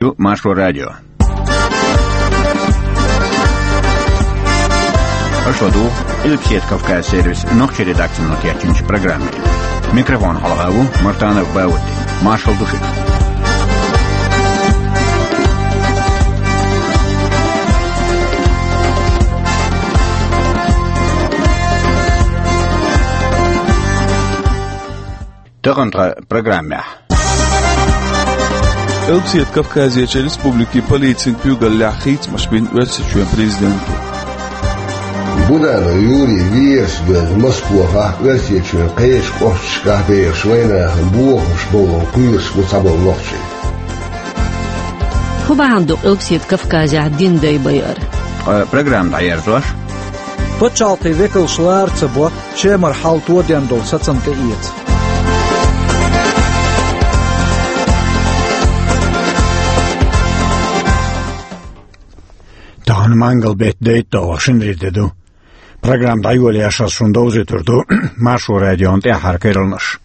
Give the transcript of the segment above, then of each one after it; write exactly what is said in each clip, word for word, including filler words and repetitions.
Ю Маршо радио. Аша ладу Къилбседа Кавказ сервис нохчийн редакцино кечйинчу программе. Микрофон хьалха ву Мартанов Баудди. Маршалла ду шуьга. Тахана тхан программехь. Къилбседа Кавказерчу республикийн полицин куьйгаллехь хийцамаш бина Оьрсийчоьнан президенто. Буданов Юрий везаш доьзна Москвахь Оьрсийчоьнан кхечу кӀошташкахь бехаш вайнахана бохамаш бовлар кхоьруш бу цхьаболу нохчий. ХӀун бахьана ду Къилбседа Кавказехь дин дай байар? Ткъа программа дӀаерзош. Пачхьалкхийн векалш лара ца бо, Шемара хьал тоден долу сацам тӀеэца. Тахана мангал беттан дейтталгӀа шинарин де ду. Программа дӀайолош ас шуна довзуьйтур ду Маршо радион тӀаьххьара керланаш.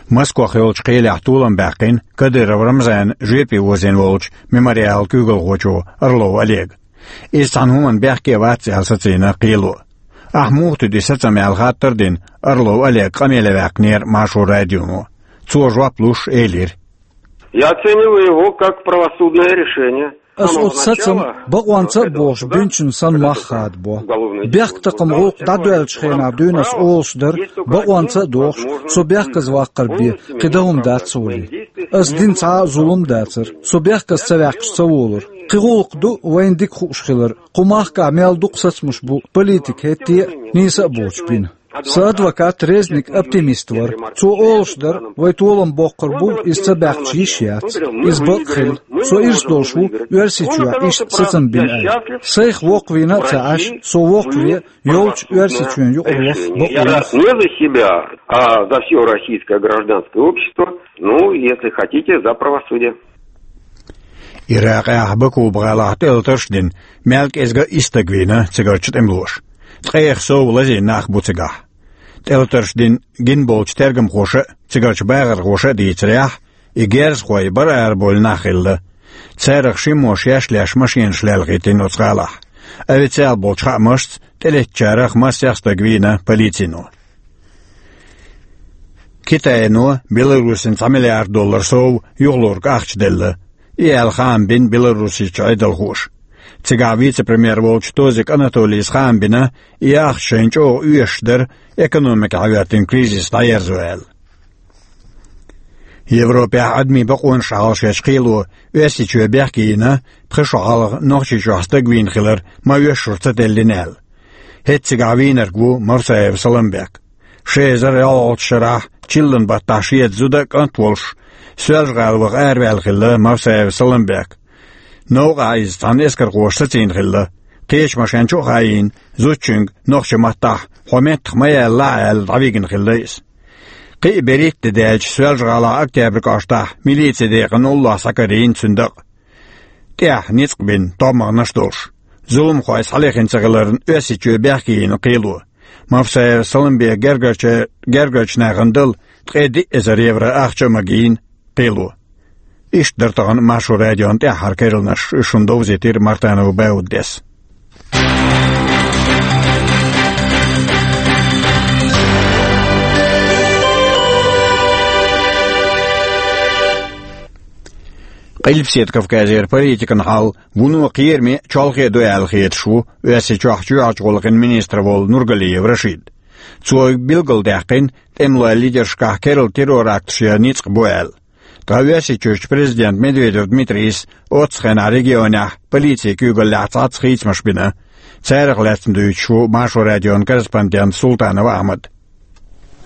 Москвахь йолчу кхелехь толам баьккхина Кадыров Рамзанан жоьпе возийна волчу Мемориалан куьйгалхочо Орлов Олега. Иза цхьана хӀуманна бехке а вац аьлла сацийна кхело. Ахь муха туьду и сацам аьлла хаттар а дина, Орлов Олег къамеле ваьккхинера Маршо радионо. Цо жоп луш элира: Я оцениваю его как правосудное решение. Ас оцу сацам бакъонца а бохуш, бинчун санна мах хадабо. Бехктакхаман гӀуллакх дӀадоьллачу хенахь дуьйна ас олуш дара, бакъонца а дохуш, со бехказа ваккхар бен, кхин дан хӀума дац ца волий. Ас дина цхьа а зулам дацара, со бехказа ца ваьккхича ца волура. Кхин гӀуллакх ду вайна дика хууш хилар, кху махкахь мел дукха сацамаш бу политика хӀетте а, нийса а боцуш бина. Сан адвокат Резник оптимист вара. Цо олуш дара, вай толам боккхур бу, иза ца баьккхича йиш яц. Иза бакъ хилла. Со ирс долуш ву, Оьрсийчохь иштта сацам бина аьлла. Сайх воккхавийна а ца Ӏаш, со воккхаве, йолчу Оьрсийчоьнан юкъара ваха бакъо яц. Не за себя, а за всё российское гражданское общество. Ну, если хотите, за правосудие. Иракъехь Бакуба гӀалахь тӀелатарш а дина, мел кӀезга исс стаг вийна цигарчу тӀемалоша. Ткъех сов лазийна нах бу цигахь. ТӀелатарш дина гина болчу тергамхоша а, цигарчу бахархоша а дийцарехь, и герзахой бара-ара болу нах хилла. Царах шиммо шаьш леш машенаш лелхийтина оцу гӀалахь. Официал болчу хаамашца, тӀелеттачарах массех стаг вийна полицино. Китайно Беларусина цхьа миллиард доллар сов юхалург ахча делла. И аьлла хаам бина Беларусичу Ӏедалхоша. Цигахь вице-премьер волчу Тозик Анатолийс хаам бина, и ахча шайна чӀогӀа оьшуш дара, экономика хьаьвертина кризис дӀаерзо аьлла. Европехь адамийн бакъонаш хьалхашъечу кхело Оьрсийчоь бехке йина, пхи шо хьалха Нохчийчохь стаг вийна хилар ма-оьшшура ца теллина аьлла. ХӀетта цигахь вийнарг ву Мавсаев Саламбек. Ши эзар ялхалгӀачу шарахь чиллан баттахь шеца зуда а, кӀант а волуш, Соьлжа-ГӀала ваха араваьлла хилла Мавсаев Саламбек. Новкъахь иза цхьана эскархоша сацийна хилла. Кхечу машен чу а хаийна, зудчуьнга нохчийн маттахь: «Хьо меттах ма ялалахь», — аьлла, дӀавигна хилла иза. Кхин а берхӀитта де даьлча Соьлжа-ГӀалахь Октябрь кӀоштахь милицин декъана уллохь схьакарийна цуьнан дакъа. ТӀехь ницкъ бина, товмагӀнаш а долуш. Зуламхой схьалехна ца хиларна, Оьрсийчоь бехке йина кхело. Мавсаев Саламбека гергарча-, гергарчу нахана дала ткъе диъ эзар евро ахча а магийна кхело. Иштта дара тахана Маршо радион тӀаьххьара керланаш, уьш шуна довзийтира Мартанов Бауддис. Къилбседа Кавказера политикан хьал вуно кхераме а, чолхе а ду аьлла хеташ ву Оьрсийчохь чоьхьарчу гӀуллакхийн министр волу Нургалиев Рашид. Цо билгалдаьккхина, тӀемалойн лидершкахь керла террор-акташ ян ницкъ бу аьлла. Ткъа Оьрсийчуьрчу президента Медведев Дмитрийс оццу хенахь регионехь полицин куьйгаллехь цхьацца хийцамаш бина. Царах лаьцна дуьйцуш ву Маршо радион корреспондент Султанов Ахьмад.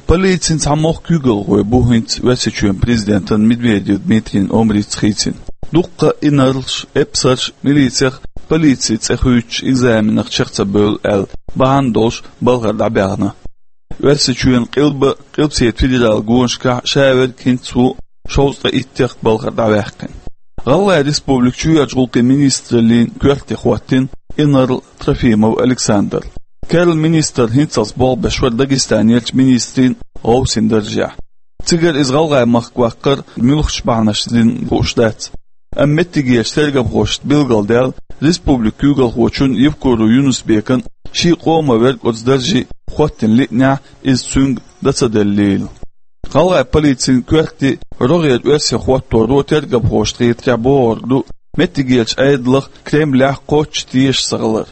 Полицин цхьа мохк куьйгалхой бу хӀинца Оьрсийчоьнан президентан Медведев Дмитрийн омрица хийцина. Дуккха а инарлаш, эпсарш милицех полицин цӀе хуьйцучу экзаменах чекх ца бевлла аьлла, бахьана долуш балхара дӀабаьхна. Оьрсийчоьнан къилба, Къилбседа федералан гонашкахь ша верг хӀинца ву шовзткъе иттех балхара дӀаваьккхина. ГӀалгӀайн Республикан чоьхьарчу гӀуллакхийн министраллин коьрте хӀоттийна инарла Трофимов Александр. Керла министр хӀинццалц болх беш вара Дагестанерчу министрийн гӀовсин даржехь. Цигара иза ГӀалгӀай махка ваккхар муьлхачу бахьанашца дина хууш дац. Амма меттигерчу тергамхошца билгалдаьлла, республикан куьйгалхочун Евкуров Юнус-Бекан шен къоман верг оцу дарже хӀоттийна лиънехь, иза цуьнга дан ца деллийла. ГӀалгӀайн полицин коьрте рогӀера оьрсийн хӀотторо тергамхошна хетарехь бохург ду меттигерчу Ӏедалх Кремлехь кхоччуш теша ца хилар.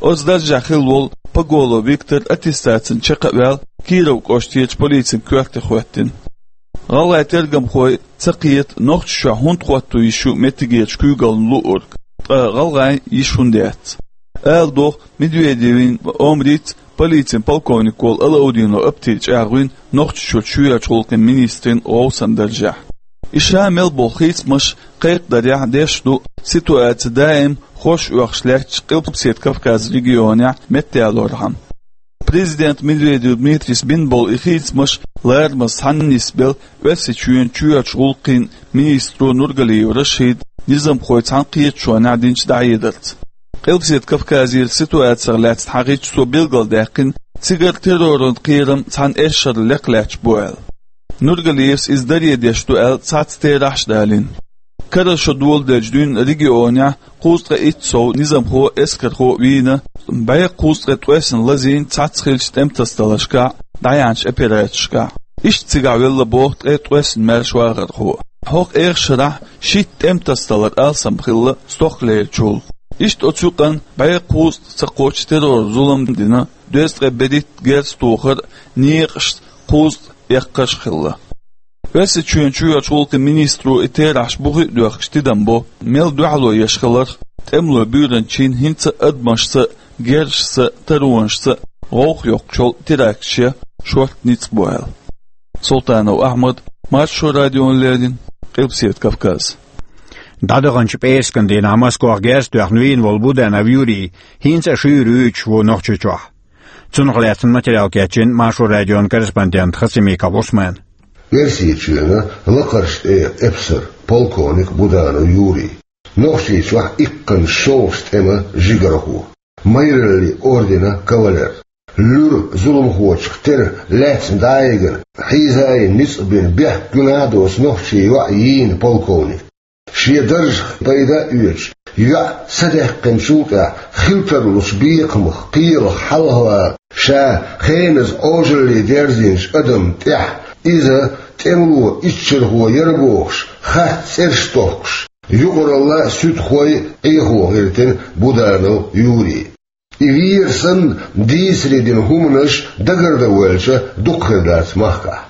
Оцу даржехь хилла волу Поголов Виктор аттестацина чекх а ваьлла, Киров кӀоштарчу полицин коьрте хӀоьттина. ГӀалгӀайн тергамхой ца кхета, Нохчийчохь хӀунда хӀотто йиш ю меттигерчу куьйгалхочун луург, ткъа гӀалгӀайн йиш хӀунда яц. Ала догӀу, Медведевн омрица полицин полковник волу Алаудинов Аптий чӀагӀвина Нохчийчуьра чоьхьарчу гӀуллакхийн министран гӀовсан даржехь. И ша мел болу хийцамаш кхайкхадарехь деш ду, ситуаци даим хорша оьхуш лаьттачу Къилбаседа Кавказан регионехь меттаялорхьама. Президент Медведев Дмитрийс бина болу и хийцамаш ларамаза цхьаьна нисбелла Оьрсийчоьнан чоьхьарчу гӀуллакхийн министро Нургалиев Рашида низамхой цхьана кхеташонехь динчу дӀахьедарца. Къилбаседа Кавказера ситуацих лаьцна хьахийча цо билгалдаьккхина, цигара терроран кхерам цхьана эшшара лекха лаьтташ бу аьлла. Нургалиевс иза даре деш ду аьлла цхьацца терахьаш а далийна. Карара шо доладелчу дуьйна регионехь кхузткъе итт сов низамхо а, эскархо а вийна, бӀе кхузткъе ткъесна лазийна цхьацца хиллачу тӀематасадаларшкахь а, дӀаяьхьначу операцешкахь а. Иштта цигахь велла боху ткъе ткъесна маьрша вахархо. ХӀокху эха шарахь шийтта тӀематасадалар алсам хилла стохкалерчул. Иштта оцу юкъана бӀе кхузткъа ца кхоччуш террор-зулам дина, дезткъе берхӀитта герз тохар а, некъашца кхузткъа эккхарш а хилла. Оьрсийчоьнан чоьхьарчу гӀуллакхийн министро и терахьаш бухе а доьхкуш тидам бо, мел дуьхьало еш хиларх, тӀемалойн буьйранчин хӀинца а адамашца а, герзашца а, таронашца а гӀовгӀа йоккхучул теракташ ян шортта ницкъ бу аьлла. Султанов Ахьмад, Маршо радиона леррина, Къилбаседа Кавказ. ДӀадаханчу пӀераскан дийнахь Москвахь герз тоьхна вийна волу Буданов Юрий хӀинца а шуьйра вуьйцуш ву Нохчийчохь. Цунах лаьцна материал кечйина Маршо радион корреспондента Хасимиков Усмана. Оьрсийчоьнан Лакхарчу тӀегӀан эпсар, полковник Буданов Юрий. Нохчийчохь иккханчу шолгӀачу тӀеман жигархо. Майраллин орденан кавалер. Луьра зуламхочух тера лаьцна дӀайигна, хьийза а йина, ницкъ бина, бехк гуьнахь а доцу нохчийн йоӀ йийна полковник. Шен даржах пайда а оьцуш, йоӀ садаьккхинчул тӀаьхьа хила тарлучу бекхамах, кхелах хьалхавала, ша хеназа Ӏожалле дерзийначу адамна тӀехь, иза тӀемало иччархо яра бохуш, хатта цӀераш тохкуш, юкъаралла а, суьдхой а Ӏехо гӀиртина Буданов Юрий. И вер санна, дийцаре дина хӀуманаш дагардан воьлча дукха хир дац махкахь.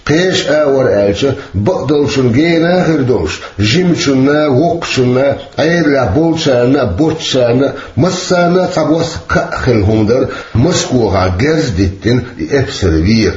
Кхечу агӀор аьлча, бакъдолчун гена а хир долуш, жимачунна а, воккхачунна а, Ӏедалехь болчарна а, боцчарна а, массарна а цхьабосса кхаъ хилла хӀума дара Москвахь герз диттина и эпсар вер.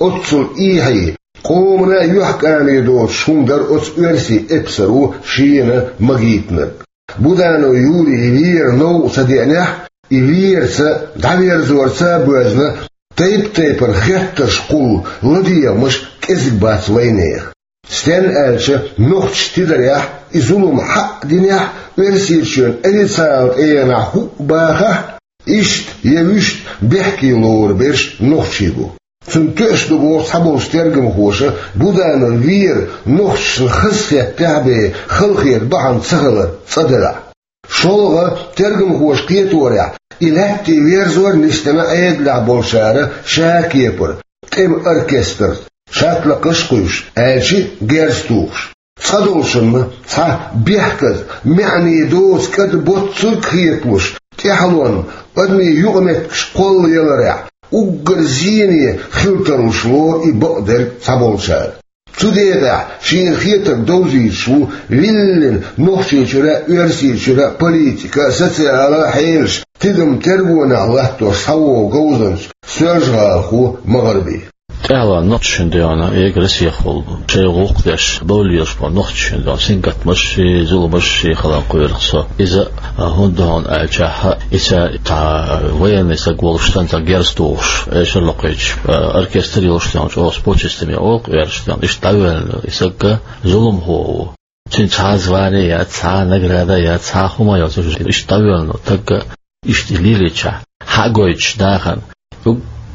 Оццул эхь а, къомана а юьхькӀаме доцуш хӀума дара оцу оьрсийн эпсаро шена магийтинарг. Буданов Юрий вер новкъа ца деанехь, и верца, дӀаверзорца а боьзна, тайп-тайпана хеттарш кхуллу ладегӀамаш кӀезиг бац вайнехан. Стенна аьлча, нохчаша тидарехь, и зулам хьаъ динехь, Оьрсийчоьнан официалан тӀегӀанехь хӀуъа бахахь, иштта я вуьшта бехке лоруш берш нохчий бу. Цунна тоьаш ду боху цхьаболчу тергамхоша Буданов вер нохчашна хазахетта тӀаьхьа бен халахета бахьана ца хилар цӀа делахь. ШолгӀа, тергамхоша кхеторехь, и лаьттан верзор нисдина Ӏедалехь болчара ша кепара, тӀеман оркестрца, шатлакхаш а кхуьйсуш, аьлча а герз тухуш. Цкъа долчунна цхьа бехказа, маьӀне доцу кӀада боццург а хеталуш, тӀаьхьалонна, адамийн юкъаметтигаш кхоллаяларехь, уггар зене хила тарлуш лору и бакъдерг цхьаболчара. Цу декъехь шена хетарг довзуьйтуш ву виллина Нохчийчуьра а, Оьрсийчуьра а политика а, социалан а хьелаш тидам тергонехь латтош схьавогӀу говзанча соьлжа-гӀалахо МагӀарби. ТӀаьхьалонна нохчашна дуьйна, эга Россехула бу, шайн гӀуллакх деш, бовллаш болу нохчашна дуьйна сингаттамашший, зуламашший хилла кхоьру со. Иза, а, хӀунда ду хьуна аьлчахьа, иза цхьа военный стаг волуш санна, цхьа герз тухуш, эшар локхуьйтуш, а, оркестр йолуш дуьйна, чӀогӀа спортсмен олу-кх оьрсаша дуьйна, иштта дӀавоьллина и стаг зуламхо ву. Цуьнан цхьа а звание яц, цхьа а награда яц, цхьа а хӀума йоцуш, иштта дӀавоьллина стаг, иштта и лелийча, хьа а гойтуш дахана.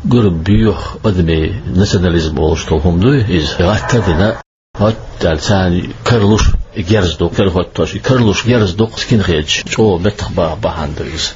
Уггар боьха адамийн национализм олуш долу хӀума дуй иза, гӀатта а дина, ХӀотта аьлла, царна карлуш герз ду, карахӀоттош, и карлуш герз ду, скинхедаш чӀогӀа меттах баха бахьана ду иза.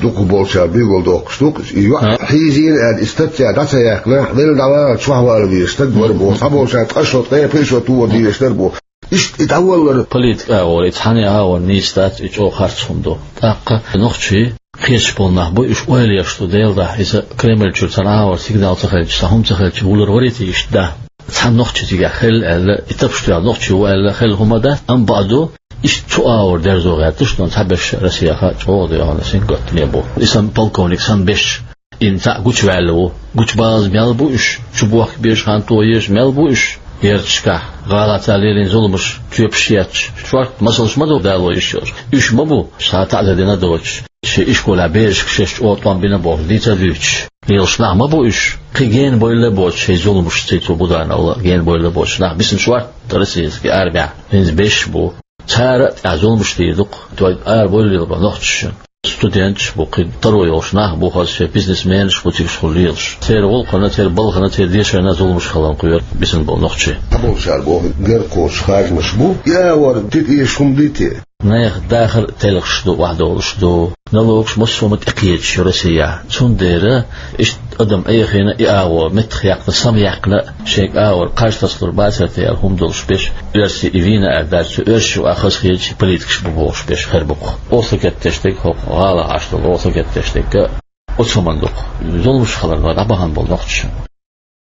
Дукха болчара билгалдоккхуш ду, и йоӀ хьийзийна аьлла, и статья дӀа ца яьккхина, велла дӀавала чохь вала везаш стаг вара боху, цхьаболчара ткъа шо, ткъе пхи шо тоха дезаш дара боху. Иштта и дӀаваллар. Политика агӀор, и цхьана агӀор нийса дац, и чӀогӀа харц хӀума ду. ТӀаккха нохчий кхеташ болу нах бу, уьш ойла еш ду, Делан дуьхьа, иза Кремль чуьра цхьана агӀор сигнал ца хилча, цхьа хӀума ца хилча, вулар варий те иштта да? Цхьана нохчи цигахь хилла аьлла, и тапаш тоьхна нохчи ву аьлла, хилла хӀума дац, амма бакъ ду, иштта цу агӀор дерзо гӀерташ, но цхьаберш Россехь чӀогӀа доьгӀна сингаттаме бу. И санна полковник санна беш, и цхьаъ гучуваьлла ву. Гучубалаза мел бу уьш, чубохка безаш хан тоеш мел бу уьш. Ярташкахь гӀалаца лелийна зуламаш, тоьпаш етташ, шортта масалш ма ду дало йиш йолуш. Уьш ма бу, ша таӀзар дина доцуш, шен ишколехь берашка шаьш чӀогӀа тӀом бина бохуш, дийца а дуьйцуш. Лелаш нах ма бу уьш, кхин гена бойла а боцуш, шайн зуламашца цу Будановла гена бойла а боцуш нах бисина шортта российский армехь. ХӀинца беш бу. Цара а тӀехь зуламаш дийр ду-кх, той ара бойла лелабан нохчаша. Студенташ бу, кхин таро йолуш нах бу, хаза шайн бизнесменаш бу цига хуьлуш лелаш. Церан гӀуллакхана, церан балхана, церан дешарна зуламаш хиларна кхоьру бисина болу нохчий. Цхьаболчара боху, гергакхочуш харжамаш бу, и агӀор тӀетӀеша хӀума дий те? Нехан дахар а телхаш ду, охьадолуш ду. Налогаш массо а ма тӀекхеташ ю Россехь. Цундела иштта адам Ӏехийна и агӀо меттах яьккхина, самаяьккхина, шайга агӀор кхаж тасалур бацара те аьлла хӀума долуш беш, оьрсий и вийна аьлла дац, цу оьрсашна юкъахь хазахеташ политикаш бу бохуш беш хир бу-кх. Оха сагатдеш дерг хӀокху гӀалахь Ӏаш долу, оха сагатдеш дерг а оцу хӀуманна ду-кх. Зуламаш хиларна дӀабахана болу нохчаша.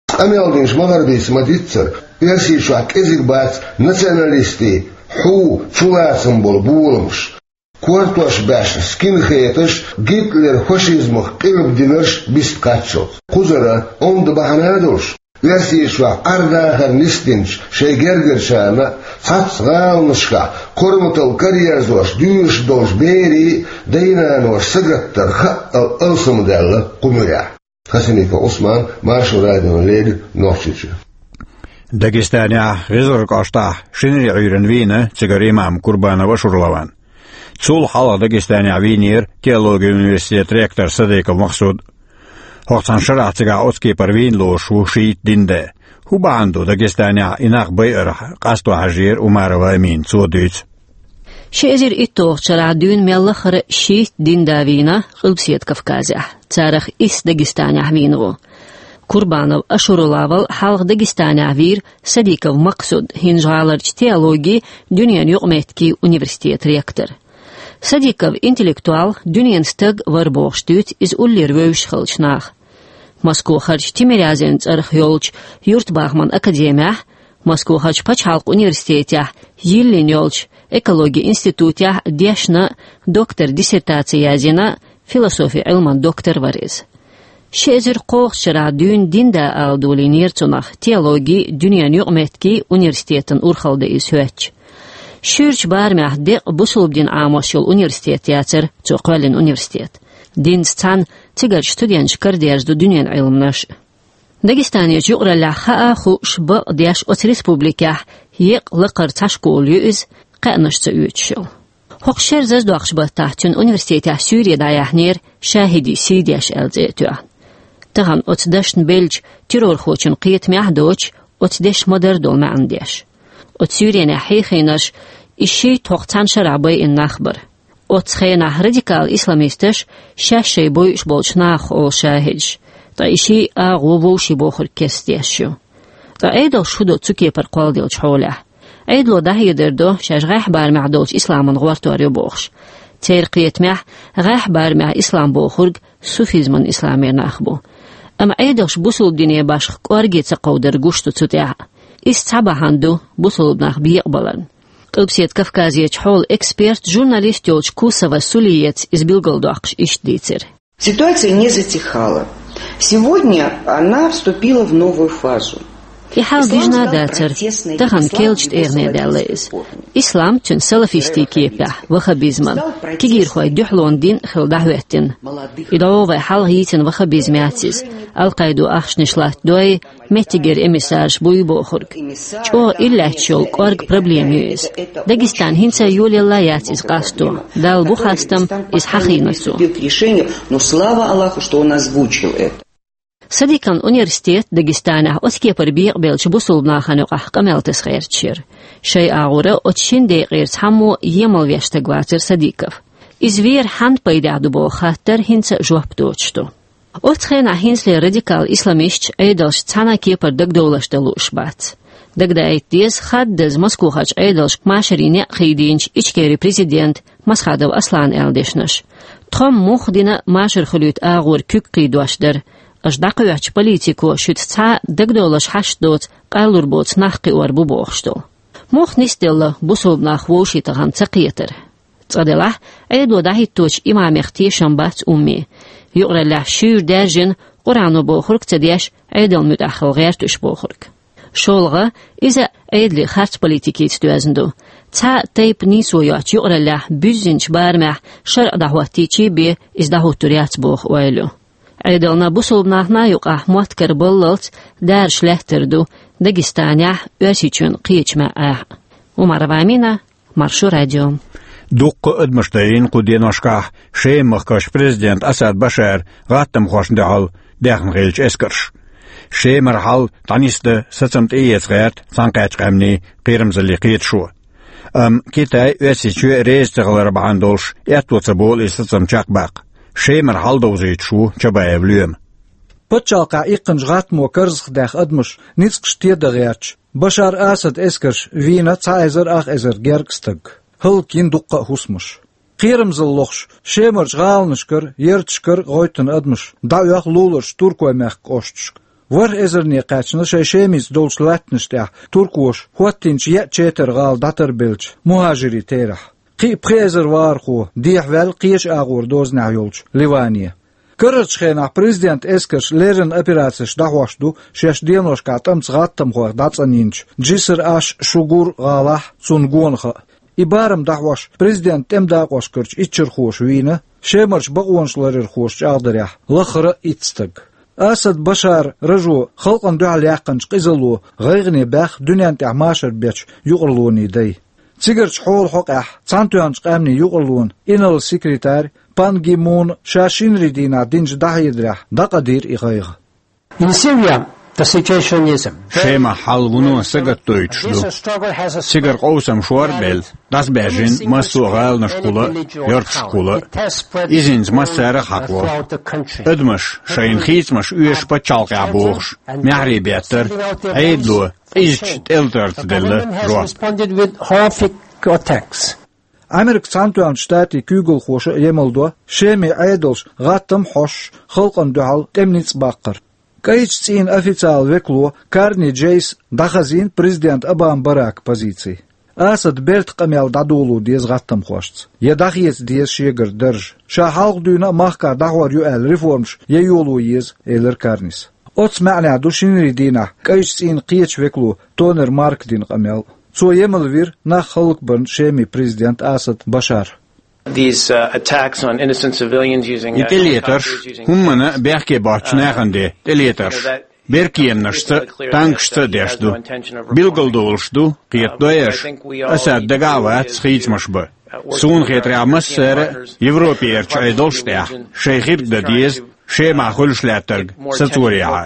Къамел динчу ма-гарбийца ма-диццара, Оьрсийчохь кӀезиг бац националистийн хьу, чулацам болу боламаш. Кортош баьшна скинхедаш, Гитлер фашизмах къилба динарш бист кхаччалц. Кхузара онда бахьана а долуш, Оьрсийчохь Ӏар-дахар нисдинчу шайн гергарчарна а, цхьацца гӀаланашкахь корматалла караерзош дуьйцуш долчу берийн а дай-наноша сагатдар хаъал алсамдаьлла кху муьрехь. Хасимиков Ӏусман, Маршо радиона леррина, Нохчийчоь. Дагестанехь ГӀезалгӀа кӀоштахь шинарин Ӏуьйранна вийна цигара имам Курбанов Ашурлаван. Цул хьалха Дагестанехь вийнера теологин университетан ректор Садыков Максуд. ХӀокху цхьана шарахь цигахь оцу кепара вийна лоруш ву шийтта динан да. ХӀун бахьана ду Дагестанехь и нах байарх къасто хьажийра Умарова Амина, цо дуьйцу. Ши эзар итталгӀачу шарахь дуьйна мел лахара шийтта динан да вийна Къилбаседа Кавказехь, царах исс Дагестанехь вийна ву. Курбанов Ашурулла вал хьалха Дагестанехь вийра Садыков Максуд, ХӀинжа-ГӀаларчу теологин, дуьненан юкъаметтиган университетан ректор. Садыков интеллектуал, дуьненан стаг вара бохуш дуьйцу иза уллера вевзаш хиллачу наха. Москвахарчу Тимирязевн цӀарах йолчу юьртабахаман академехь, Москвахарчу пачхьалкхан университетехь йиллина йолчу экологин институтехь дешна, доктор диссертаци язйина, философин Ӏилман доктор вара иза. Ши эзар кхоалгӀачу шарахь дуьйна динан да ала долийнера цунах теологин, дуьненан юкъаметтиган университетан урхалла дан иза хӀоьттича. Шуьйрачу барамехь декъа бусалба дин Ӏамош йолу университет яцара цо кхоьллина университет. Динца цхьаьна цигарчу студенташа карадерзадо дуьненан Ӏилманаш а. Дагестанерчу юкъараллехь хаа а хууш, бакъдеш оцу республикехь еккъа лакхара цхьа школа ю иза, кхаьънаш ца оьцуш йолу. ХӀокху шеран заздоккхучу баттахь цуьнан университетехь суьйре дӀаяьхьнера «Шахидийн сий деш» аьлла цӀе а тоьхна. Тахана оцу дашна беллачу террорхочун кхетамехь а доцуш, оцу дешан ма-дарра долу маьӀна деш. Оцу суьйренехь хьийхийнарш и шийтта хӀокху цхьана шарахь байина нах бара. Оццу хенахь радикал исламисташ шаьш шайн бойуш болчу нахах олу шахидаш, ткъа и шийтта агӀо вовшийн бохург кестдеш ю. Ткъа Ӏедалша хӀун до цу кепара кхолладеллачу хьолехь? Ӏедало дӀахьедар до, шаьш гӀеххьа барамехь долчу исламан гӀортор ю бохуш. Церан кхетамехь, гӀеххьа барамехь ислам бохург суфизман исламера нах бу. Амма Ӏедалша бусалба дине башха кӀорге ца кховдар гуш ду цу тӀехь. Иза цхьа бахьана ду бусалба нах бекъабаларна. Къилбаседа Кавказерчу хьолан эксперт, журналист йолчу Кусова Сулиеца иза билгалдоккхуш иштта дийцира. Ситуация не затихала. Сегодня она вступила в новую фазу. И хьал дижна а дацара. Тахана керлачу тӀегӀане даьлла иза. Ислам, цуьнан салафистийн кепехь, ваххабизман, кегийрхойн дуьхьалонан дин хилла дӀахӀоьттина. И дӀо вай хьалха йийцина ваххабизм яц иза, Ал-Къайдо ахчанаш латтадой, меттигера эмиссараш буй бохург. ЧӀогӀа иллаьтташ йолу кӀорга проблема ю иза. Дагестан хӀинца а йолаелла яц иза къасто. Далла бу хастам, иза хьахийна цо. К решению, но слава Аллаху, что он озвучил это. Садикан университет Дагестанехь оцу кепара бекъабеллачу бусулба нахана юкъахь къамел таса гӀерташ яра. Шайн агӀора оцу шина декъера цхьаммо емал веш стаг вацара Садиков. Иза вер хьанна пайдехь ду боху хаттар хӀинца жоп доцуш ду. Оцу хенахь хӀинцале радикал исламисташ Ӏедалшца цхьана а кепара дагадовларш дан лууш бац. Дагадаийта деза хаддаза Москохарчу Ӏедалшка машарийн некъ хийдинчу Ичкерин президента Масхадов Аслана аьлла дешнаш. Тхо-м муха дина машар хуьлуьйту агӀора куьг кхийдош дара. Аша дӀакхоьхьучу политико шуьца цхьа а дагадовларш хьашт доцу, къайлур боцу нах кхиор бу бохуш долу. Муха нисделла бусулба нах вовшийн тахана ца кхетар? Цкъа делахь, Ӏедало дӀахӀитточу имамех тешам бац умме. Юкъараллехь шуьйра даьржина, Къуръано бохург а ца деш, Ӏедална муьтӀахь хила гӀерта уьш бохург. ШолгӀа, иза Ӏедалан харц политикица доьзна ду. Цхьа а тайпа нийсо йоцучу юкъараллехь буьззинчу барамехь шарӀ дӀахӀоттийчий бен иза дӀахӀуттур яц боху ойла ю. Ӏедална, бусулба нахана юкъахь мотт кара баллалц дараш лаьттар ду Дагестанехь, Оьрсийчоьнан кхечу маьӀӀехь. Умарова Амина, Маршо радио. Дуккха а адамаш даййина кху деношкахь Шеман махкахь президент Асад Башар гӀаттамхошна дуьхьал даьхна хиллачу эскарша. Шемара хьал дӀанисдан сацам тӀеэца гӀерта Цхьаьнакхеттачу Къаьмнийн кхерамзаллин кхеташо. Амма Китай, Оьрсийчоь реза ца хилар бахьана долуш, аьтто ца болу и сацам чекхбаккха. Шемара хьал довзуьйтуш ву Чабаев Лоьма. Пачхьалкхехь иккхинчу гӀаттамо карзахдаьхна адамаш ницкъаш тедан гӀерташ, Башар Асадан эскарша вийна цхьа эзар ах эзар гергга стаг. ХӀаллакйина дуккха а хӀусамаш. Кхерамзалла лохуш, Шемарчу гӀаланашкара, ярташкара гӀоьттина адамаш дӀаоьху луларчу Туркойн-мехкан кӀошташка. ВорхӀ эзарне кхаьчна шайн Шемица долчу латтанаш тӀехь туркоша хӀоттийначу еа четар гӀала дӀатарбеллачу мухӀажирийн терахь. Кхин а пхи эзар вахархо дехьаваьлла кхечу агӀор дозанехь йолчу Ливане. Карарчу хенахь президентан эскарша леррина операцеш дӀахьош ду шаьш деношкахь тӀамца гӀаттамхойх дӀацӀанйинчу Джиср аш-Шугур гӀалахь, цунна гонах а. И барам дӀахьош, президентан тӀеман дакъошкарчу иччархоша вийна, Шемарчу бакъонаш ларъярхоша чӀагӀдарехь, лаххара а итт стаг. Асад Башаран рожо халкъана дуьхьал яьккхинчу къизалло гӀайгӀане баьхна дуьнен тӀехь машар бечу юкъарлонийн дай. Цигарчу хьолан хьокъехь Цхьаьнатоьхначу Къаьмнийн юкъарлонан инарла секретарь Пан Ги Муна ша шинарийн дийнахь динчу дӀахьедарехь дӀакъадийра и гӀайгӀа. In Syria, the situation is very... Шемахь хьал вуно сагатдойтуш ду. Цигара къовсам шорбелла, дӀасабаьржина массо а гӀаланашкахула а, ярташкахула а. Иза хӀинца массара а хьакхо. Адамаш шайна хийцамаш оьшу пачхьалкхехь бохуш, маьхьарий беттара, Ӏедало къизачу тӀелатарца делла жоп. Responded with horrific attacks. Америкин Цхьаьнатоьхначу Штатийн куьйгалхоша а емал до Шеман Ӏедалша гӀаттам а хьош, халкъана дуьхьал тӀеман ницкъ баккхар. КӀайчу цӀийнан официалан векало Карни Джейса дӀахазийна президент Обама Баракан позици. Асада бертан къамел дӀадоло деза гӀаттамхошца, я дӀахеца деза шегара дарж. Ша хьалха дуьйна а махкахь дӀахьор ю аьлла реформаш я йоло еза, элира Карнис. Оцу маьӀнехь ду шинарийн дийнахь КӀайчу цӀийнан кхечу векало Тонер Марка дина къамел. Цо емал вира нах хӀаллакбарна Шеман президент Асад Башар. These, uh, attacks on innocent civilians using, uh, И тӀелетарш, helicopters, using хӀуманна а бехке боцучу нахана де тӀелетарш, беркеманашца а, танкашца а деш ду. Билгалдолуш ду, кхетадо аша, Асад дагахь а вац хийцамаш бан. Суна хетарехь, массара а Европерчу Ӏедалш а тӀехь шайн хирг дан деза Шемахь хуьлуш лаьттарг сацорехьа.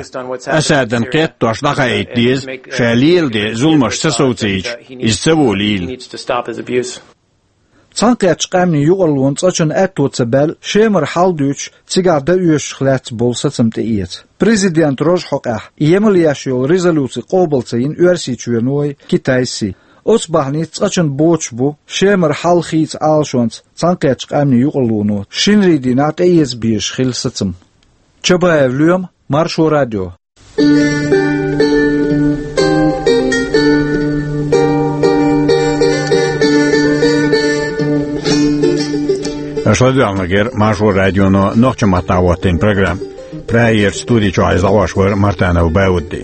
Асадана кхеттош дӀахаийта деза, ша леладен зуламаш ца совцийча, иза ца волийла. Цхьаьнакхеттачу Къаьмнийн юкъарлонан цкъачунна аьтто ца баьлла Шемара хьал дуьйцуш, цигахь дан оьшуш лаьцна болу сацам тӀеэца. Президентан рожу хьокъехь емал еш йолу резолюци къобал ца йина Оьрсийчоьно а, Китайс а. Оцу бахьаница цкъачунна боцуш бу Шемара хьал хийца Ӏалашонца Цхьаьнакхеттачу Къаьмнийн юкъарлоно шинарийн дийнахь тӀеэца безаш хилла сацам. Чабаев Лоьма, Маршо радио. Аша ладоьгӀнарг яра Маршо радионо нохчийн маттахь хӀоттийна программа. Прагерчу студи чохь иза лаош вара Мартанов Баудди.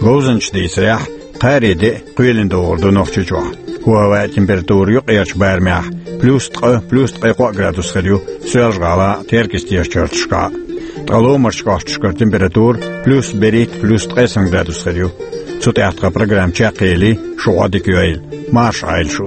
Говзанчаша дийцарехь, кхаари де а кхоьлина догӀур ду Нохчийчохь. ХӀаваан температура юккъерчу барамехь плюс ткъа, плюс ткъе кхоъ градус хир ю Соьлжа-ГӀалахь а, Теркйистера чарташкахь а. Ткъа ломарчу кӀошташкара температура плюс берхӀитта, плюс ткъе сан градус хир ю. Цу тӀехь тхан программа чекхъели, шун Ӏодика йойла. Марша Ӏойла шу.